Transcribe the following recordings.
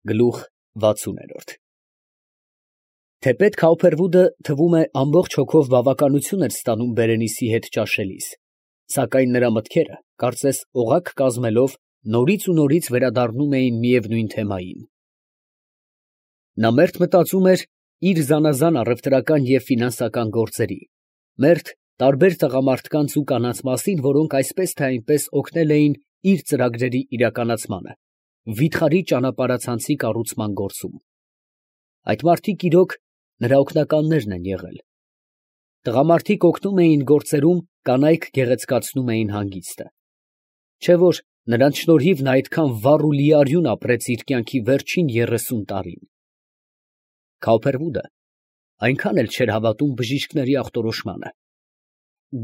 Գլուխ 60 Թեպետ Քաուփերվուդը թվում է ամբողջ հոգով բավականություն էր ստանում Բերենիսի հետ ճաշելիս, սակայն նրա մտքերը, կարծես օղակ կազմելով, նորից ու նորից վերադառնում էին միևնույն թեմային։ Նա մերթ մտածում էր իր զանազան առևտրական և ֆինանսական գործերի, մերթ տարբեր տղամարդկանց ու կանանց մասին, որոնք այսպես թե այնպես օգնել էին իր ծրագրերի իրականացմանը, վիթխարի ճանապարհացանցի կառուցման գործում։ Այդ մարդիկ իրոք նրա օգնականներն են եղել։ Տղամարդիկ օգնում էին գործերում, կանայք գեղեցկացնում էին հանգիստը։ Չէ՞ որ նրանց շնորհիվ նա այդքան վառ ու լիարյուն ապրեց իր կյանքի վերջին 30 տարին։ Քաուփերվուդը այնքան էլ չէր հավատում բժիշկների ախտորոշմանը։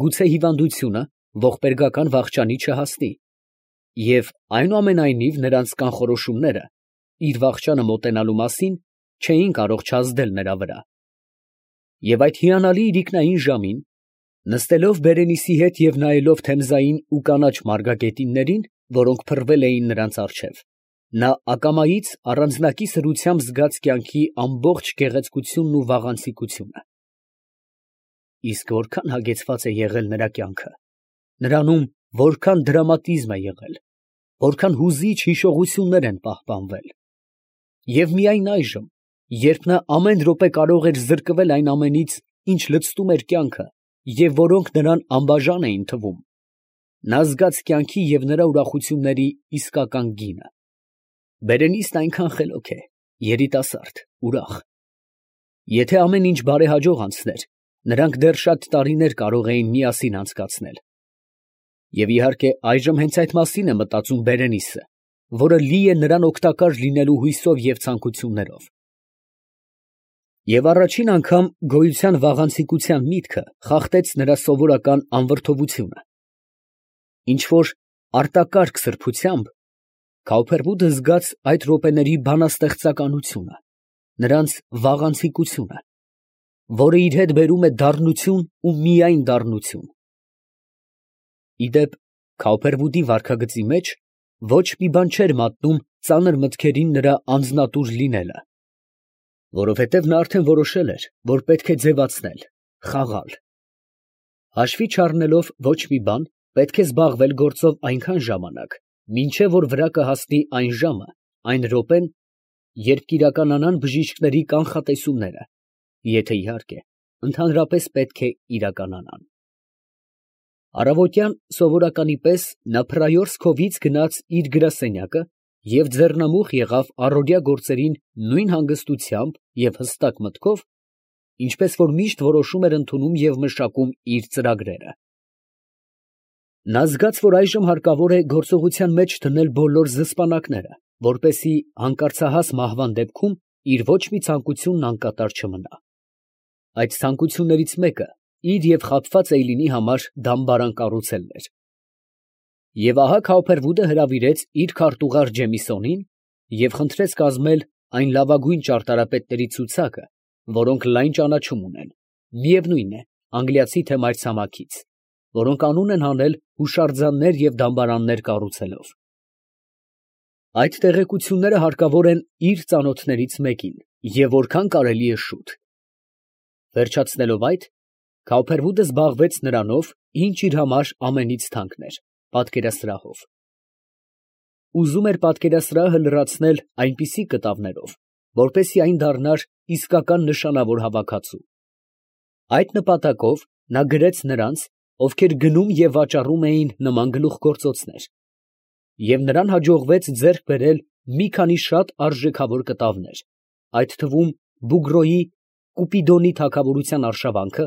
Գուցե հիվանդությունը ողբերգական վախճանի չհասնի, և այնուամենայնիվ նրանց կանխորոշումները իր վախճանը մոտենալու մասին չէին կարող չազդել նրա վրա։ Եվ այդ հիանալի իրիկնային ժամին, նստելով Բերենիսի հետ և նայելով Թեմզային ու կանաչ մարգագետիններին, որոնք փռվել էին նրանց առջև, նա ակամայից առանձնակի սրությամբ զգաց կյանքի ամբողջ գեղեցկությունն ու վաղանցիկությունը։ Իսկ որքան հագեցված է եղել նրա կյանքը, նրանում որքան դրամատիզմ է եղել, որքան հուզիչ հիշողություններ են պահպանվել։ Եվ միայն այժմ, երբ նա ամեն րոպե կարող էր զրկվել այն ամենից, ինչ լցնում էր կյանքը, և որոնք նրան անբաժան էին թվում, նա զգաց կյանքի և նրա ուրախությունների իսկական գինը։ Բերենիսն այնքան խելոք է, երիտասարդ, ուրախ։ Եթե ամեն ինչ բարեհաջող անցներ, նրանք դեռ շատ տարիներ կարող էին միասին անցկացնել։ Եվ իհարկե այժմ հենց այդ մասին է մտածում Բերենիսը, որը լի է նրան օգտակար լինելու հույսով և ցանկություններով։ Եվ առաջին անգամ գոյության վաղանցիկության միտքը խախտեց նրա սովորական անվրդովությունը։ Ինչ֊որ արտակարգ սրբությամբ Քաուփերվուդը զգաց այդ րոպեների բանաստեղծականությունը, նրանց վաղանցիկությունը, որը իր հետ բերում է դառնություն ու միայն դառնություն։ Ի դեպ, Քաուփերվուդի վարքագծի մեջ ոչ մի բան չէր մատնում ծանր մտքերին նրա անձնատուր լինելը, որովհետև նա արդեն որոշել էր, որ պետք է ձևացնել, խաղալ։ Հաշվի չառնելով ոչ մի բան, պետք է զբաղվել գործով այնքան ժամանակ, մինչև որ վրա կհասնի այն ժամը, այն րոպեն, երբ կիրականանան բժիշկների կանխատեսումները, եթե իհարկե ընդհանրապես պետք է իրականանան։ Առավոտյան սովորականի պես նա փռայոց քովից գնաց իր գրասենյակը և ձեռնամուխ եղավ առօրյա գործերին նույն հանգստությամբ և հստակ մտքով, ինչպես որ միշտ որոշում էր ընդունում և մշակում իր ծրագրերը։ Նա զգաց, որ այժմ հարկավոր է գործողության մեջ դնել բոլոր զսպանակները, որպեսզի հանկարծահաս մահվան դեպքում իր ոչ մի ցանկությունն անկատար չմնա։ Այդ ցանկություններից մեկը իր և խաբված Էյլինի համար դամբարան կառուցելն էր։ Եվ ահա Քաուփերվուդը հրավիրեց իր քարտուղար Ջեմիսոնին և խնդրեց կազմել այն լավագույն ճարտարապետների ցուցակը, որոնք լայն ճանաչում ունեն, միևնույն է, անգլիացի թե մայրցամաքից, որոնք անուն են հանել հուշարձաններ և դամբարաններ կառուցելով։ Այդ տեղեկությունները հարկավոր են իր ծանոթներից մեկին և որքան կարելի է շուտ։ Վերջացնելով այդ, Քաուփերվուդը զբաղվեց նրանով, ինչ իր համար ամենից թանկն էր, պատկերասրահով։ Ուզում էր պատկերասրահը լրացնել այնպիսի կտավներով, որպեսզի այն դառնար իսկական նշանավոր հավաքածու։ Այդ նպատակով նա գրեց նրանց, ովքեր գնում և վաճառում էին նման գլուխգործոցներ, և նրան հաջողվեց ձեռք բերել մի քանի շատ արժեքավոր կտավներ, այդ թվում Բուգրոյի «Կուպիդոնի թագավորության արշավանքը»,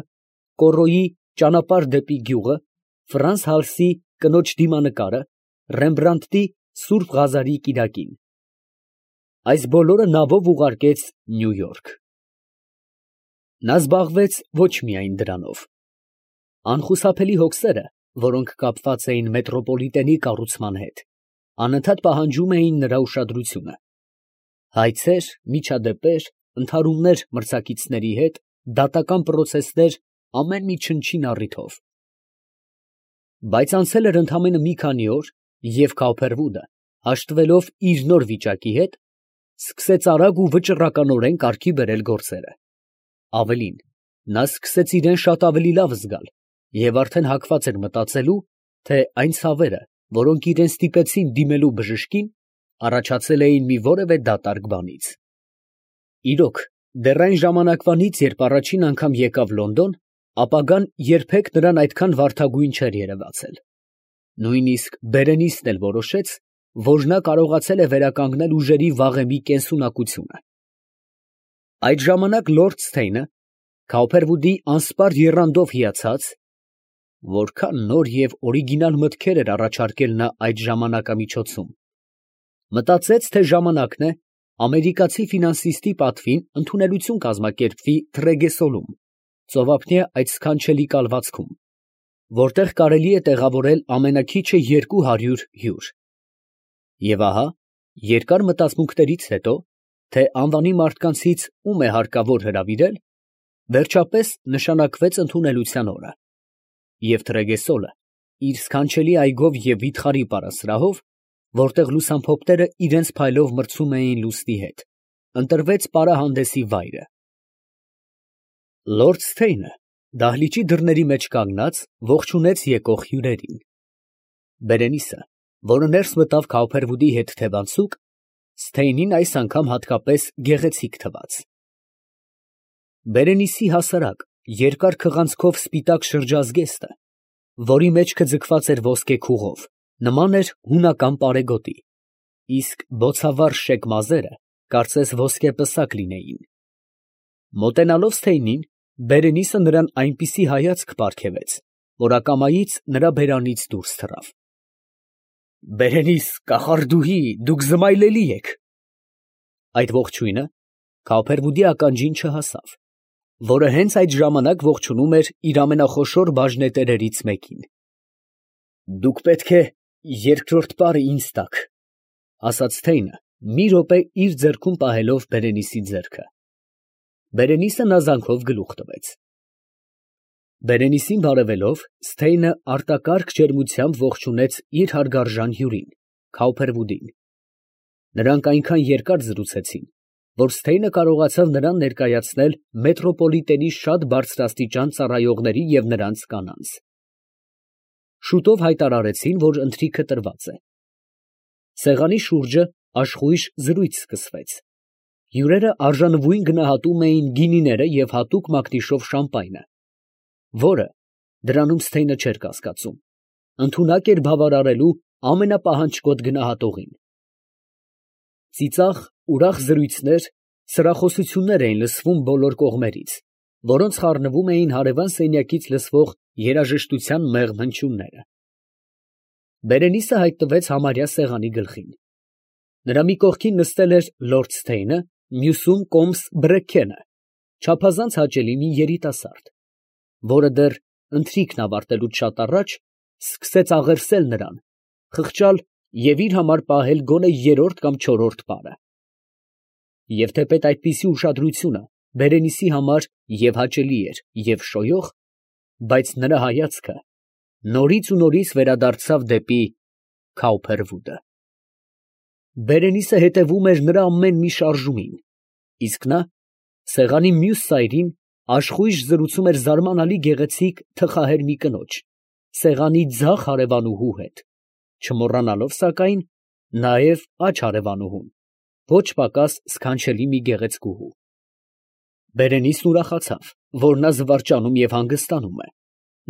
Կոռոյի «Ճանապարհ դեպի գյուղը», Ֆրանս Հալսի «Կնոջ դիմանկարը», Ռեմբրանդտի «Սուրբ Ղազարի կիրակին»։ Այս բոլորը նավով ուղարկեց Նյու Յորք։ Նա զբաղվեց ոչ միայն դրանով։ Անխուսափելի հոգսերը, որոնք կապված էին մետրոպոլիտենի կառուցման հետ, անընդհատ պահանջում էին նրա ուշադրությունը։ Հայցեր, միջադեպեր, ընդհարումներ մրցակիցների հետ, դատական պրոցեսներ, ամեն մի չնչին առիթով։ Բայց անցել էր ընդամենը մի քանի օր, և Քաուփերվուդը, հաշտվելով իր նոր վիճակի հետ, սկսեց արագ ու վճռականորեն կարգի բերել գործերը։ Ավելին, նա սկսեց իրեն շատ ավելի լավ զգալ և արդեն հակված էր մտածելու, թե այն ցավերը, որոնք իրեն ստիպեցին դիմելու բժշկին, առաջացել էին մի որևէ դատարկ բանից։ Իրոք, դեռ այն ժամանակվանից, երբ առաջին անգամ եկավ Լոնդոն, ապագան երբեք նրան այդքան վարդագույն չէր երևացել։ Նույնիսկ Բերենիսն էլ որոշեց, որ նա կարողացել է վերականգնել ուժերի վաղեմի կենսունակությունը։ Այդ ժամանակ լորդ Սթեյնը, Քաուփերվուդի անսպառ եռանդով հիացած, որքան նոր և օրիգինալ մտքեր էր առաջարկել նա այդ ժամանակամիջոցում, մտածեց, թե ժամանակն է ամերիկացի ֆինանսիստի պատվին ընդունելություն կազմակերպվի Թրեգեսոլում, ծովափնյա այդ սքանչելի կալվածքում, որտեղ կարելի է տեղավորել ամենաքիչը 200 հյուր։ Եվ ահա, երկար մտածմունքներից հետո, թե անվանի մարդկանցից ում է հարկավոր հրավիրել, վերջապես նշանակվեց ընդունելության օրը, և Թրեգեսոլը իր սքանչելի այգով և վիթխարի պարասրահով, որտեղ լուսամփոփները իրենց փայլով մրցում էին լուսնի հետ, ընտրվեց պարահանդեսի վայրը։ Լորդ Սթեյնը դահլիճի դռների մեջ կանգնած ողջունեց եկող հյուրերին։ Բերենիսը, որը ներս մտավ Քաուփերվուդի հետ թևանցուկ, Սթեյնին այս անգամ հատկապես գեղեցիկ թվաց։ Բերենիսի հասարակ, երկար քղանցքով սպիտակ շրջազգեստը, որի մեջքը ձգված էր ոսկե քուղով, նման էր հունական պարեգոտի, իսկ բոցավառ շեկ մազերը կարծես ոսկեպսակ լինեին։ Մոտենալով Սթեյնին, Բերենիսը նրան այնպիսի հայացք պարգևեց, որ ակամայից նրա բերանից դուրս թռավ։ «Բերենիս, կախարդուհի, դուք զմայլելի եք»։ Այդ ողջույնը Քաուփերվուդի ականջին չհասավ, որը հենց այդ ժամանակ ողջունում էր իր ամենախոշոր բաժնետերերից մեկին։ «Դուք պետք է երկրորդ պարը ինձ տաք», ֊ ասաց Սթեյնը, մի րոպե իր ձեռքում պահելով Բերենիսի ձեռքը։ Բերենիսը նազանքով գլուխ տվեց։ Բերենիսին բարևելով, Սթեյնը արտակարգ ջերմությամբ ողջունեց իր հարգարժան հյուրին, Քաուփերվուդին։ Նրանք այնքան երկար զրուցեցին, որ Սթեյնը կարողացավ նրան ներկայացնել մետրոպոլիտենի շատ բարձրաստիճան ծառայողների և նրանց կանանց։ Շուտով հայտարարեցին, որ ընթրիքը տրված է։ Սեղանի շուրջը աշխույժ զրույց սկսվեց։ Հյուրերը արժանվույն գնահատում էին գինիները և հատուկ մակնիշով շամպայնը, որը, դրանում Սթեյնը չէր կասկածում, ընդունակ էր բավարարելու ամենապահանջկոտ գնահատողին։ Ծիծաղ, ուրախ զրույցներ, սրախոսություններ էին լսվում բոլոր կողմերից, որոնց խառնվում էին հարևան սենյակից լսվող երաժշտության մեղմ հնչյունները։ Բերենիսը հայտնվեց համարյա սեղանի գլխին։ Նրա մի կողքին նստել էր լորդ Սթեյնը, մյուսում կոմս Բրեքքենը, չափազանց հաճելի մի երիտասարդ, որը դեռ ընթրիքն ավարտելուց շատ առաջ սկսեց աղերսել նրան, խղճալ և իր համար պահել գոնե երրորդ կամ չորրորդ պարը։ Եվ թեպետ այդպիսի ուշադրությունը Բերենիսի համար և հաճելի էր, և շոյող, բայց նրա հայացքը նորից ու նորից վերադարձավ դեպի Քաուփերվուդը։ Բերենիսը հետևում էր նրա ամեն մի շարժումին, իսկ նա, սեղանի մյուս ծայրին, աշխույժ զրուցում էր զարմանալի գեղեցիկ թխահեր մի կնոջ, սեղանի ձախ հարևանուհու հետ, չմոռանալով, սակայն, նաև աջ հարևանուհուն, ոչ պակաս սքանչելի մի գեղեցկուհու։ Բերենիսն ուրախացավ, որ նա զվարճանում և հանգստանում է.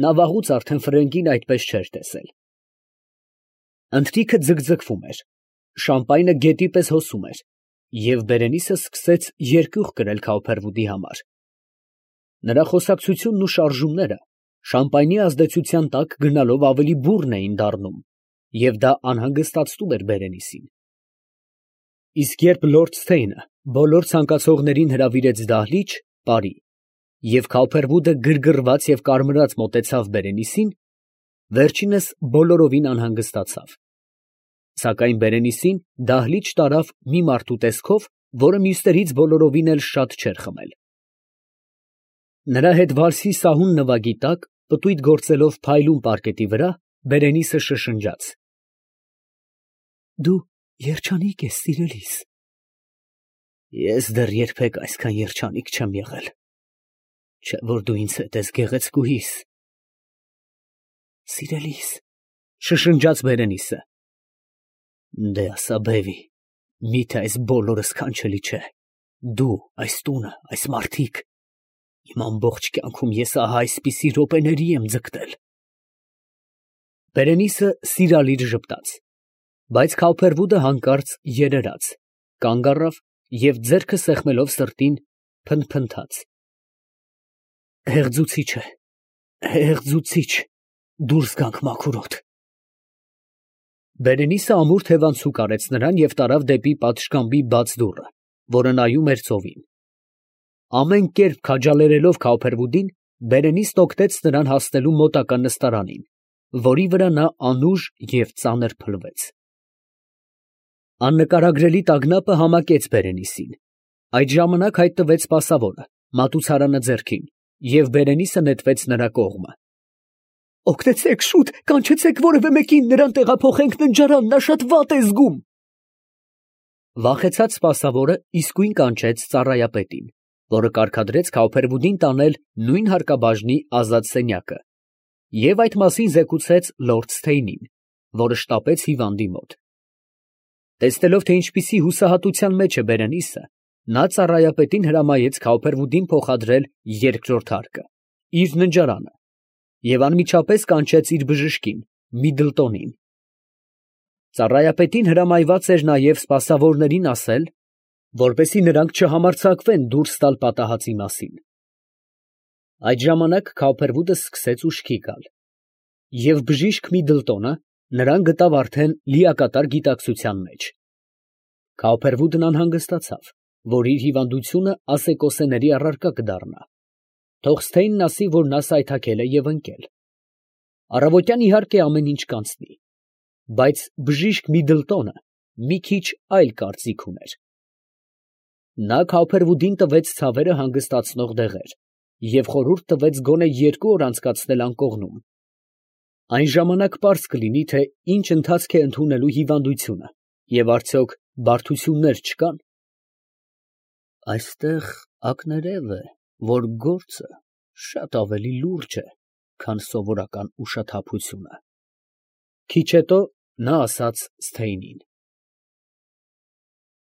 նա վաղուց արդեն ֆրենկին այդպես չէր տեսել։ Ընթրիքը ձգձգվում էր, շամպայնը գետի պես հոսում էր, և Բերենիսը սկսեց երկյուղ կրել Քաուփերվուդի համար։ Նրա խոսակցությունն ու շարժումները շամպայնի ազդեցության տակ գնալով ավելի բուռն էին դառնում, և դա անհանգստացնում էր Բերենիսին։ Իսկ երբ լորդ Սթեյնը բոլոր ցանկացողներին հրավիրեց դահլիճ, պարի, և Քաուփերվուդը գրգռված և կարմրած մոտեցավ Բերենիսին, վերջինս բոլորովին անհանգստացավ։ Սակայն Բերենիսին դահլիճ տարավ մի մարդու տեսքով, որը մյուսներից բոլորովին էլ շատ չէր խմել։ Նրա հետ վալսի սահուն նվագի տակ, պտույտ գործելով փայլուն պարկետի վրա, Բերենիսը շշնջաց. «Դու երջանիկ ես, սիրելիս»։ Ես դեռ երբեք այսքան երջանիկ չեմ եղել, չէ որ դու ինձ հետ ես գեղեցկուհիս։ Սիրելիս, շշնջաց Բերենիսը։ Դե ասա բևի, միթե այս բոլորը սքանչելի չէ։ Դու, այս տունը, այս մարդիկ, իմ ամբողջ կյանքում ես ահա այսպիսի րոպեների եմ ձգտել։ Բերենիսը սիրալիր ժպտաց, բայց Քավփերվուդը հանկարծ երերաց, կանգ առավ և ձեռքը սեղմելով սրտին փնթփնթաց. Հեղձուցիչ է, հեղձուցիչ, դուրս գանք մաքուր օդ։ Բերենիսը ամուր թևանցուկ արեց նրան և տարավ դեպի պատշգամբի բաց դուռը, որը նայում էր ծովին։ Ամեն կերպ քաջալերելով Քավփերվուդին, Բերենիսն օգնեց նրան հասնելու մոտակա նստարանին, որի վրա նա անուժ և ծանր փլվեց։ Աննկարագրելի տագնապը համակեց Բերենիսին։ Այդ ժամանակ հայտնվեց սպասավորը, մատուցարանը ձեռքին, և Բերենիսը նետվեց նրա կողմը։ Օգնեցեք շուտ, կանչեցեք որևէ մեկին, նրան տեղափոխենք ննջարան, նա շատ վատ է զգում։ Վախեցած սպասավորը իսկույն կանչեց ծառայապետին, որը կարգադրեց Քավփերվուդին տանել նույն հարկաբաժնի ազատ սենյակը, և այդ մասին զեկուցեց լորդ Սթեյնին, որը շտապեց հիվանդի մոտ։ Տեսնելով, թե ինչպիսի հուսահատության մեջ է Բերենիսը, նա ծառայապետին հրամայեց Քավփերվուդին փոխադրել երկրորդ հարկը, իր ննջարանը, և անմիջապես կանչեց իր բժշկին Միդլտոնին։ Ծառայապետին հրամայված էր նաև սպասավորներին ասել, որպեսզի նրանք չհամարձակվեն դուրս տալ պատահածի մասին։ Այդ ժամանակ Քավփերվուդը սկսեց ուշքի գալ, և բժիշկ Միդլտոնը նրան գտավ արդեն լիակատար գիտակցության մեջ։ Քավփերվուդն անհանգստացավ, որ իր հիվանդությունը ասեկոսեների առարկա կդառնա։ Թող Սթեյնն ասի, որ նա սայթաքել է և ընկել։ Առավոտյան իհարկե ամեն ինչ կանցնի, բայց բժիշկ Միդլտոնը մի քիչ այլ կարծիք ուներ։ Նա Քավփերվուդին տվեց ցավերը հանգստացնող դեղեր և խորհուրդ տվեց գոնե 2 օր անցկացնել անկողնում։ Այն ժամանակ պարզ կլինի, թե ինչ ընթացք է ընդունելու հիվանդությունը և արդյոք բարդություններ չկան։ Այստեղ ակներև է, որ գործը շատ ավելի լուրջ է, քան սովորական ուշաթափությունը, ֊ քիչ հետո նա ասաց Սթեյնին։